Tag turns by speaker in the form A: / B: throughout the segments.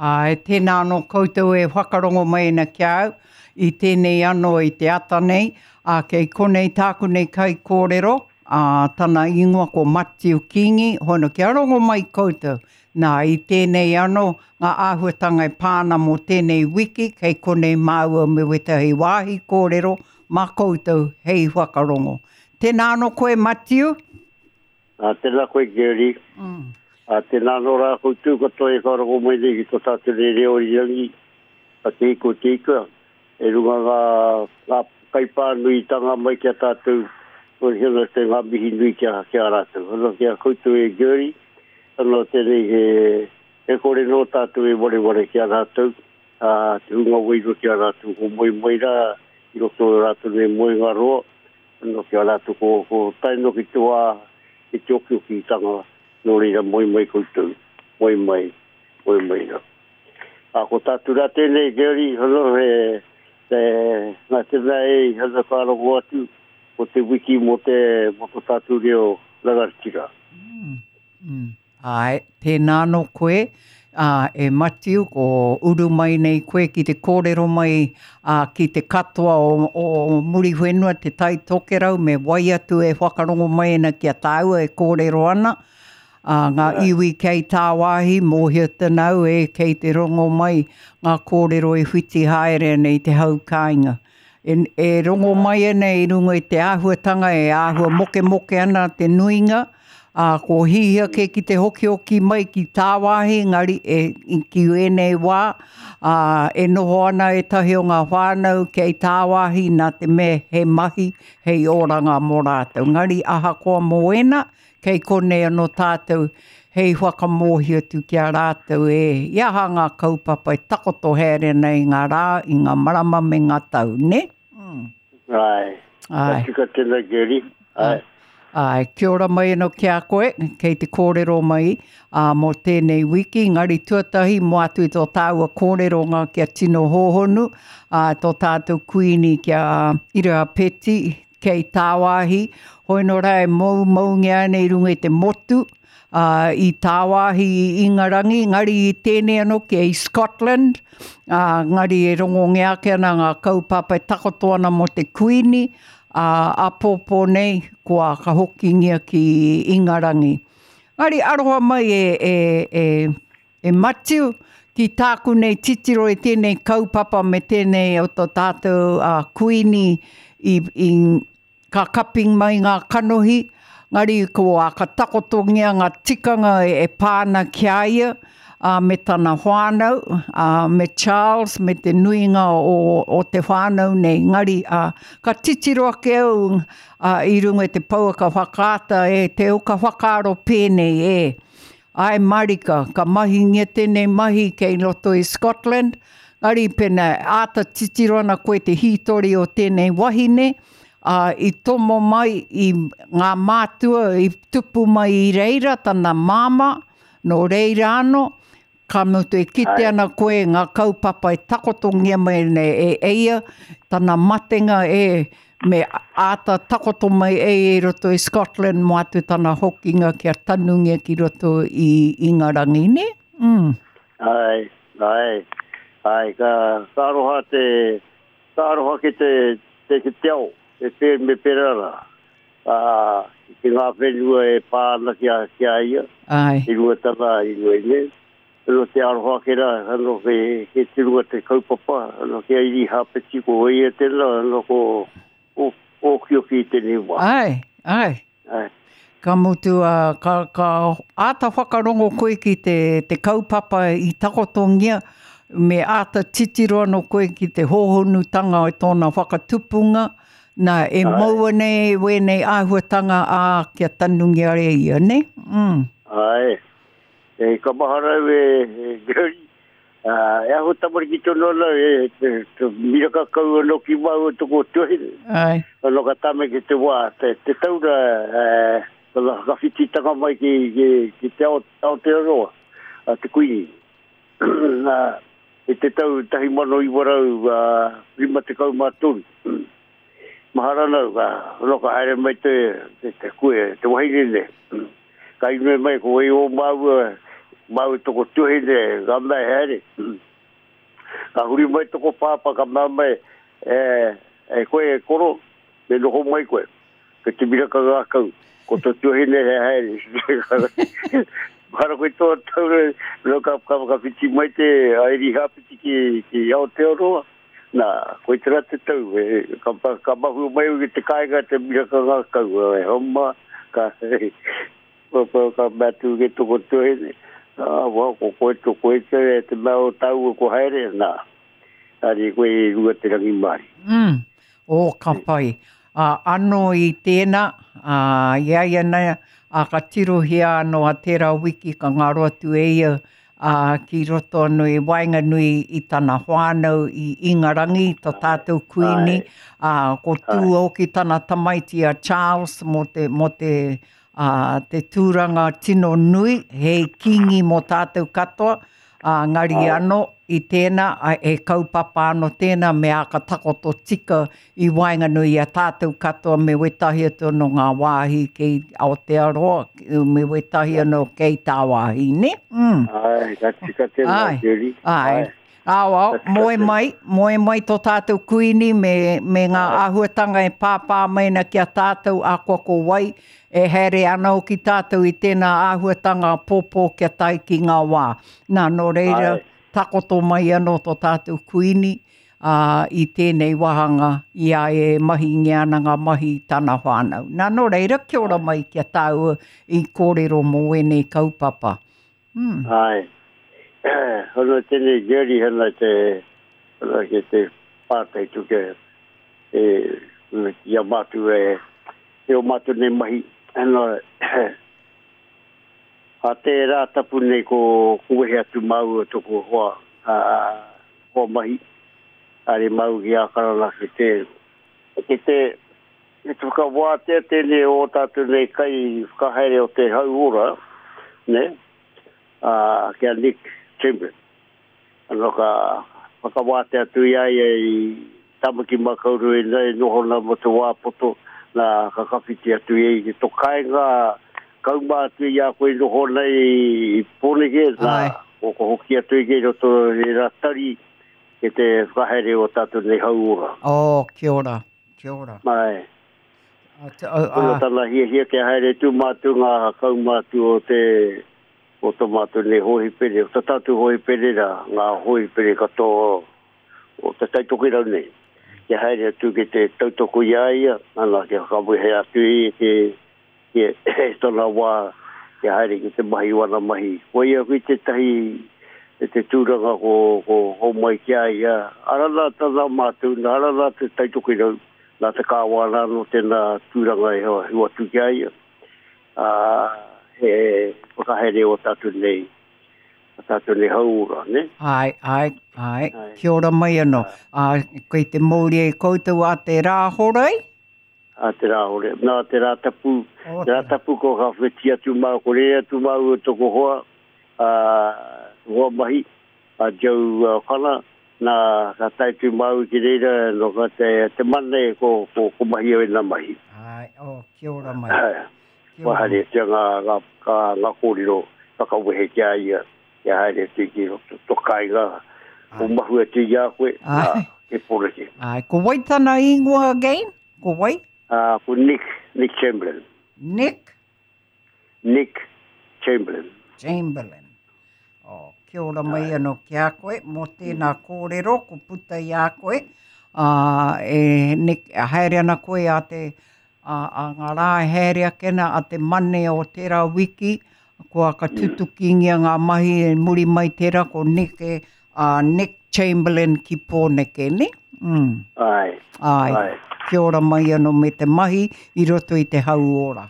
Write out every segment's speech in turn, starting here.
A: Āe, tēnā anō koutou e whakarongo mai ana ki a au, i tēnei anō i te ata nei, ā, kei konei tāku nei kaikōrero, ā, tana ingoa ko Matiu Kingi, hono kia rongo mai koutou. Nā, i tēnei anō, ngā āhuatanga e pā ana mō tēnei wiki, kei konei māua me wētahi wāhi kōrero mā koutou hei whakarongo. Tēnā anō koe Matiu.
B: Ā, tēnā koe Gary. Ā, tēnā anō rā koutou katoa e whakarongo mai nei ki tō tātou nei reo irirangi a Te Ika o Te Ika, e runga ngā, ngā kaipānuitanga mai ki a tātou, ko hea te ngā mihi nui ki a, ki a rātou. Ana ki a koutou e Gary, ana tēnei he, he kore nō tātou e wareware ki a rātou, ā, te hunga wairua ki a rātou, ko moe mai rā i roto o rātou nei moenga roa, Ano ki a ratou ko, ko tae noa ki te wa ki te okiokitanga, no reira moe mai koutou, moe mai, moe mai ra. A ko tatou ra tenei Gary, ano he, he, na te mea e, ano ka rongo atu, ko te wiki mo te, mo to tatou reo rangatira.
A: Mm, mm. Āe, tēnā anō koe, ā, e Matiu, ko uru mai nei koe ki te kōrero mai, ā, ki te katoa o, o Muriwhenua, Te Tai Tokerau, me wai atu e whakarongo mai ana ki a tāua e kōrero ana, ā, ngā iwi kei tāwāhi, mōhio tana au e kei te rongo mai ngā kōrero e whiti haere ana i te hau kāinga. E, e rongo mai ana i runga i te āhuatanga e āhua mokemoke ana te nuinga, ā, ko hihia kē ki te hokihoki mai ki tāwāhi, engari e, ki ēnei wā, ā, e noho ana ētahi o ngā whānau kei tāwāhi nā te mea he mahi hei oranga mō rātou. Engari ahakoa mō ēnā, Kei konei anō tātou hei whakamōhio atu ki a rātou e i aha ngā kaupapa e takoto haere ana i ngā rā, i ngā marama me ngā tau, nē?
B: Mm. Āe. Āe. Ka tika tēnā, Gary. Āe.
A: Āe, kia ora mai anō ki a koe, kei te kōrero mai ā, mō tēnei wiki, engari tuatahi mō atu i tō tāua kōreronga kia tino hōhonu, ā, tō tātou kuini ki a Irihapeti, kei tāwāhi, hoi nō rā e moumoungia ana i runga i te motu, ā, i tāwāhi i Ingarangi, engari i tēnei anō ki i Scotland, ā, engari e rongongia ake ana ngā kaupapa e takoto ana mō te Kuini, ā, āpōpō nei kua ka hokingia ki Ingarangi. Engari aroha mai e, e, e, E Matiu, ki tāku nei titiro i tēnei kaupapa me tēnei o tō tātou a Kuini i, i ka kaping mai ngā kanohi, ngari ko a ka takotongia ngā tikanga e, e pā ana ki a ia, a, me tana whānau, a, me Charles, me te nuinga o, o te whānau nei. Ngari, a, ka titiro ake au a, i runga i te pouaka whakaata e te au ka whakaaro pēnei e. Ae marika, ka mahingia tēnei mahi kei roto i Scotland, engari pena e āta titiro ana koe te hītori o tēnei wahine, ā, i tomo mai i ngā mātua i tupu mai i reira tana māmā, nō reira anō, ka mutu e kite ana koe ngā kaupapa e takotongia mai nei e ia, tana matenga e Me āta takoto mai e ia i roto i Scotland mō atu tana hokinga kia tanungia ki roto i Ingarangi, nē?
B: Mm. Āe, āe, āe, ka, ka aroha te, ka aroha ki te, te, te, te ao, e pē, me pērā rā. Ā, ki ngā whenua e pā ana ki a, ki a ia.
A: Āe.
B: I runga tana, i runga i nei. Ano te aroha ake ra, ano ke, ke te runga te kaupapa, ano ki a Irihapeti, ko ia tena, ano ko, o, okioki i tenei wa.
A: Ae, ae.
B: Ae.
A: Ka mutu, a, ka, ka āta whakarongo koe ki te, te kaupapa i takotongia, me āta titiro anō koe ki te hōhonutanga o tōna whakatupunga, nā, e mau ana e wēnei āhuatanga, ā, kia tanungia e ia, nē? Mm.
B: Ae. E ka mahara au e Gary, e ahu tamariki tonu ana e te miraka kau anō ki māua toko tuahine.
A: Ai.
B: Anō ka tame ki te wā, te, te taura, e, tana whakawhititanga mai ki, ki, ki te Aotearoa, a te Kuini. Nā, i te tau 1953. Mahara ana au, ka, anō ka haere mai te, te, te, kue, te wahine nei. Ka inoi mai ko wai o māua, māu toko tuhine, ka mea haere. Ka huri mai toko pāpā, ka mea mai, e, e koe e koro, me noho mai koe. Ko te miraka ngākau, ko tō tuahine he haere. Hara koe tō taura, no ka, ka, ka whiti mai te aeri hāpiti ki, ki Aotearoa. Nā, koe tera te tau, e, ka, ka mahu mai au ki te kāinga te miraka ngākau, e homa, ka, ka, ka mea atu ki toko tuahine, ah, wa, ko koe to koe te, te mea o tāua ko haere, nā, haere koe i runga te rangimārie.
A: Mm. Oh, ka pai. Ā, anō i tēnā, ā, i a ia nei, ā, ka tirohia anō a tērā wiki ka ngaro atu e ia, ā, ki roto anō i waenganui i tana whānau i Ingarangi, tō tātou Kuini, ā, ko tū hoki tana tamaiti a Charles mō te, mō te, ā, te tūranga tino nui, hei kīngi mō tātou katoa, Ā, ngari anō i tēnā, ā, he kaupapa anō tēnā me āka takoto tika i waenganui i a tātou katoa me wētahi atu anō ngā wāhi kei Aotearoa, me wētahi anō kei tāwāhi, nē?
B: Mm. Āe, ka tika tēnā, Judy.
A: Āe. Ao, ao, moe mai, moe mai tō tātou kuini me, me ngā āhuatanga e pāpā mai ana ki a tātou akoa ko wai, e haere ana hoki tātou i tēnā āhuatanga pōpō kia tae ki ngā wā. Nā, nō reira, takoto mai anō tō tātou kuini, ā, i tēnei wāhanga i a ia e mahingia ana ngā mahi i tana whānau. Nā, nō reira, kia ora mai ki a tāua i kōrero mō ēnei kaupapa.
B: Mm. Ai. Hono tēnei Jerry hana te hana ke te pātai tu ke e i a mātou e e o mātou nei mahi hana a te rā tapu nei ko ko wehe atu māua toko hoa a hoa mahi are māu ki Ākarana ki te ki te I te whakawātea tēnei o ō tātou nei kai whakahaere o te hauora, nē, ā, ki a Nick Chamberlain. Anō ka whakawātea atu i a ia i Tāmaki Makaurau e e noho ana mō te wā poto, nā, ka kawhiti atu ia i tō kāinga, kauma atu i a koe i noho ana i Pōneke, nā, ko hoki atu i kei roto i rā tari ki te whakahaere o tātou nei hauora.
A: Oh, kia ora. Kia ora.
B: Ae. A, te, a, a. Koia tana hiahia kia haere tū mātou ngā kaumātua o te, o tō mātou nei hōhipere, o tā tātou hōhipere rā, ngā hōhipere katoa o Te Tai Tokerau nei. Kia haere atu ki te tautoko i a ia, ana, kia whakawehe atu i ki, ki tōna wā kia haere ki te mahi o ana mahi. Koia hoki tētahi e te tūranga ko, ko homai ki a ia, ara nā tana mātou, nā ara nā Te Tai Tokerau, nā te Kāwana anō tēnā tūranga e hoatu ki a ia, ā, he whakahaere o tātou nei, o tātou nei hauora, nē?
A: Āe, āe, āe. Kia ora mai anō. Ā, kei te mōria i koutou a te Rāhorei?
B: A te Rāhore, nā te Rātapu, oh, te Rātapu ko ka wheti atu mā, ko rere atu māua toko hoa, a, hoa mahi, a Joe uh, Whana, nā ka tae tu māua ki reira, no ka te, te mane ko, ko, ko mahi au e nā mahi.
A: Ai, oh, kia ora mai.
B: Kia ora. Haere tia ngā, ngā, ngā, ngā kōrero whakawehe ki a ia, kia haere atu ki roto to kāinga, ko mahu atu i a koe, nā, ke poreke.
A: Ai, ko wai tana ingoa again? Ko wai?
B: Uh, ko Nick, Nick Chamberlain.
A: Nick?
B: Nick Chamberlain.
A: Chamberlain. Oh, kia ora mai anō ki a koe, mō tēnā kōrero, ko puta i a koe. Uh, e, Nick, haere ana koe a te, a, a ngā rā e haere ake ana a te Mane o tērā wiki, kua ka tutukingia ngā mahi e muri mai tērā ko Nick, a Nick Chamberlain ki Pōneke, ne?
B: Mm. Ai.
A: Ai. Ai. Kia ora mai anō me te mahi i roto i te hauora.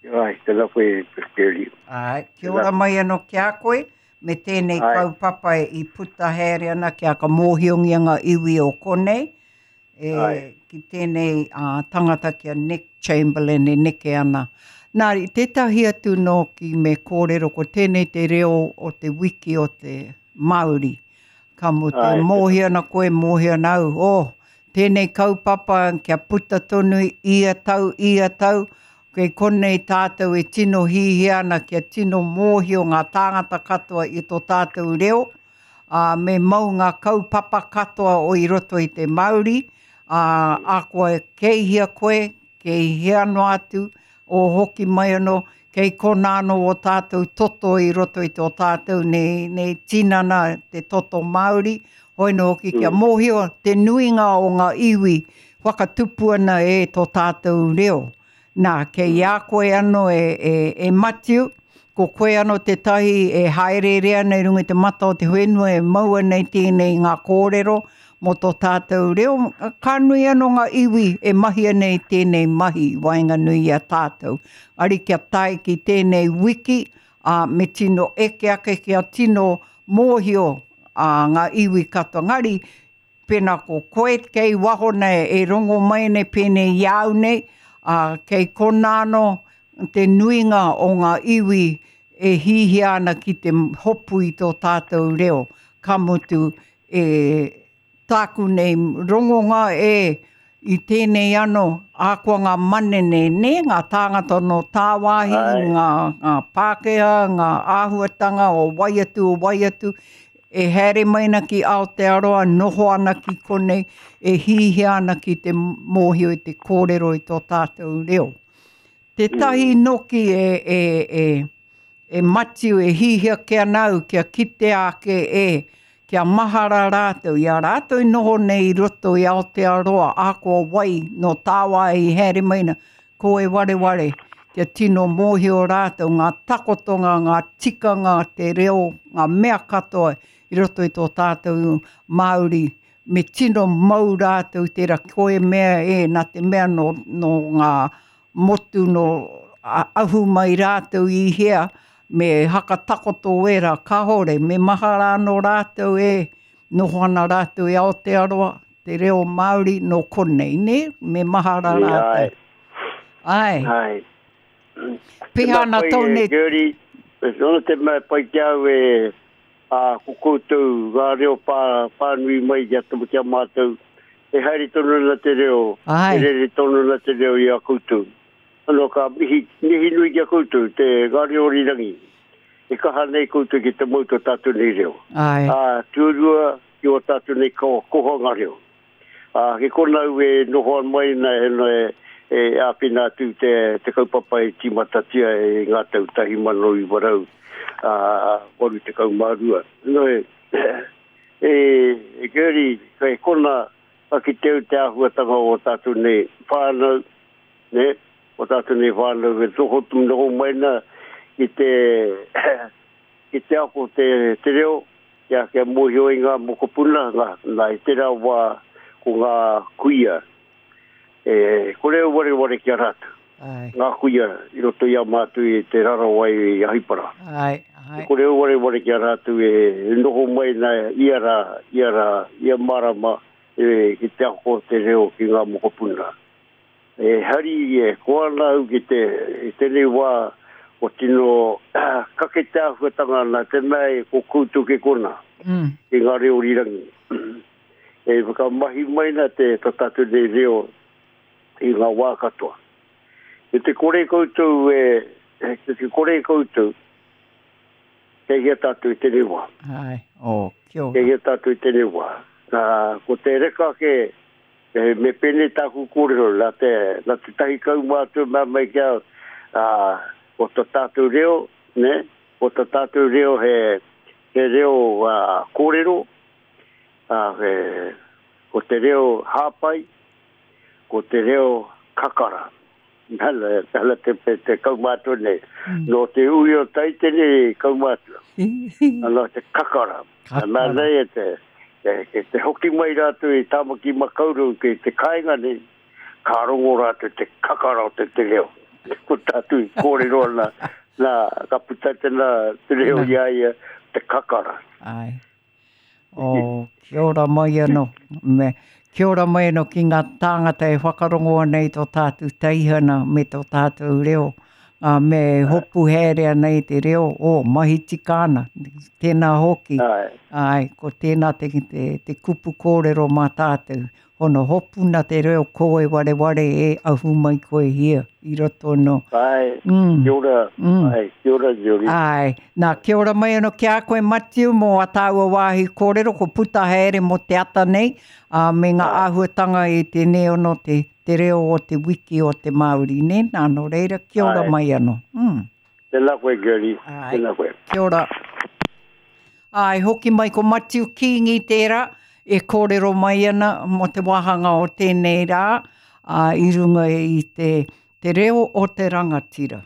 B: Ai, tēnā koe, Shirley.
A: Ai, kia ora mai anō ki a koe, me tēnei Ai. kaupapa i puta haere ana kia ka mōhiongia ngā iwi o konei, e, Ai. ki tēnei uh, tangata ki a Nick Chamberlain e neke ana. Nā, i tētahi atu nōki me kōrero ko tēnei te reo o te wiki o te Māori. Ka mutu, e mōhio ana koe, mōhio ana au, oh, tēnei kaupapa kia puta tonu ia tau, ia tau, Kei konei tātou e tino hihia ana kia tino mōhio ngā tāngata katoa i tō tātou reo, ā, me mau ngā kaupapa katoa o i roto i te Māori, ā, akoa kei hea koe, kei hea noa atu, o hoki mai anō, kei konā anō ō tātou toto i roto i tō tātou nei, nei tinana, te toto Māori, hoi nō hoki kia mōhio te nuinga o ngā iwi whakatupu ana e tō tātou reo. Nā, kei a koe anō e, e, e Matiu, ko koe anō tētahi e hāereere ana i runga i te mata o te whenua e mau ana i tēnei ngā kōrero mō tō tātou reo. Ka nui anō ngā iwi e mahi ana i tēnei mahi i waenganui i a tātou. Ari kia tae ki tēnei wiki, ā, me tino eke ake kia tino mōhio ā, ngā iwi katoa. Engari, Pēnā ko koe kei waho nei e rongo mai nei pēnei i a au nei, ā, kei konā anō te nuinga o ngā iwi e hihia ana ki te hopu i tō tātou reo, ka mutu e tāku nei rongonga e i tēnei anō, ahakoa ngā manene, nē, ngā tāngata nō tāwāhi, ngā, ngā Pākehā, ngā āhuatanga o wai atu, o wai atu, e haere mai ana ki Aotearoa, noho ana ki konei, e hihia ana ki te mōhio i te kōrero i tō tātou reo. Tētahi noki e, e, e, E Matiu, e hihia kē ana au kia kitea ake e, kia mahara rātou, i a rātou i noho nei i roto i Aotearoa, ahakoa wai, nō tāwāhi i haere mai na, ko e wareware, kia tino mōhio rātou ngā takotonga, ngā tikanga, te reo, ngā mea katoa i roto i tō tātou Māori, me tino mau rātou tērā koe mea e, nā te mea nō, nō ngā motu nō ahu mai rātou i hea, me hakatakoto wērā, kāore, me mahara anō rātou e noho ana rātou i Aotearoa, te reo Māori nō konei, nē? Me mahara rātou. Āe.
B: Āe.
A: Pēhea ana tō nei...
B: Gertie, nōna te mea pai ki au e, ā, ko koutou ngā reo pā, pānui mai ki a, ki a mātou, e haere tonu ana te reo,
A: Āe.
B: e rere tonu ana te reo i a koutou. Anō ka mihi, mihi nui ki a koutou, te ngā reo rirangi. E kaha nei koutou ki te mau tō tātou nei reo.
A: Āe.
B: Ā, tuarua, ki ō tātou nei ko, kohanga reo. Ā, ki konā au e noho mai ana e, e, e āwhina atu te, te kaupapa e tīmatatia e ngā tau 1900, ā, 82. Nō e, e, e Gertie, kei konā, ka kite au te āhuatanga o tātou nei whānau, nē, o tātou nei whānau e noho, noho mai ana ki te, ki te ako te, te reo, kia, kia mōhio i ngā mokopuna, ngā, nā, i tērā wā ko ngā kuia, e, kore au wareware ki a rātou.
A: Ai.
B: Ngā kuia i roto i a mātou i Te Rarawa i Ahipara.
A: Ai, ai.
B: E kore au wareware ki a rātou e, e noho mai nā ia rā, ia rā, ia marama e, ki te ako te reo ki ngā mokopuna. E hari, e koa ana au ki te, i tēnei wā, o tino kake te āhuatanga nā te mea e ko koutou ke kona,
A: mm.
B: i ngā reo rirangi. E whakamahi mai na te to tātou nei reo i ngā wā katoa. E te kore koutou e, e te kore koutou, kei hea tātou i tēnei wā.
A: Ai, oh, kia ora.
B: Kei hea tātou i tēnei wā. Nā, ko te reka ke, E, me pēnei tāku kōrero, nā te, nā te tahi kaumātua mea mai ki au, ā, ko tā tātou reo, nē, ko tā tātou reo he, he reo ā, kōrero, ā, he, ko te reo hāpai, ko te reo kakara. Nana, nana te, te, te kaumātua nei. Mm. Nō te ui o tai tēnei kaumātua. Nā te kakara. Kakara. Nā nei e te, e, e te hoki mai rātou i Tāmaki Makaurau ki te kāinga nei, ka rongo rātou te kakara o te te reo. Ko tātou i kōrero ana, nā, ka puta tēnā te reo i a ia, te kakara.
A: Ai. Oh, kia ora mai anō. Me, kia ora mai anō ki ngā tāngata e whakarongo ana i tō tātou teihana me tō tātou reo. Ā, me hopu haere ana i te reo, oh, mahi tika ana. Tēnā hoki.
B: Āe.
A: Āe, ko tēnā te, te, te kupu kōrero mā tātou. Hono hopuna te reo ko e wareware e ahu mai koe hia i roto no.
B: Ai, mm. kia ora, mm. ai, kia ora, Julie.
A: Ai, nā, kia ora mai ano ki a koe, Matiu, mō a tāua wāhi kōrero, ko puta haere mō te ata nei, ā, me ngā āhuatanga i tēnei ono te, te reo o te wiki o te Māori, nē? Nā, nō reira, kia ora mai ano. Mm.
B: Tēnā koe, Gertie. Tēnā koe.
A: Kia ora. Āe, hoki mai ko Matiu Kīngi tērā e kōrero mai ana mō te wāhanga o tēnei rā, ā, i runga i te, te reo o te rangatira.